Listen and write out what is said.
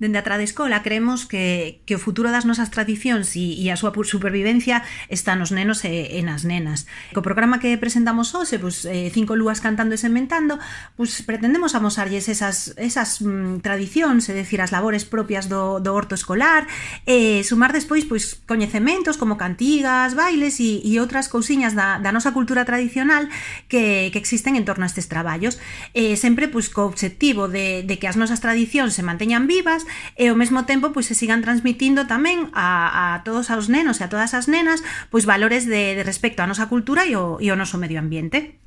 Dende a Tradescola creemos que o futuro das nosas tradicións e a súa supervivencia está nos nenos e nas nenas. Co programa que presentamos hoxe, 5 lúas cantando e sementando, pretendemos amosarlles esas tradicións, é dicir, as labores propias do horto escolar, e sumar despois coñecementos como cantigas, bailes e outras cousiñas da nosa cultura tradicional que existen en torno a estes traballos, sempre co obxectivo de que as nosas tradicións se manteñan vivas e ao mesmo tempo se sigan transmitindo tamén a todos os nenos e a todas as nenas valores de respecto á nosa cultura e ao noso medio ambiente.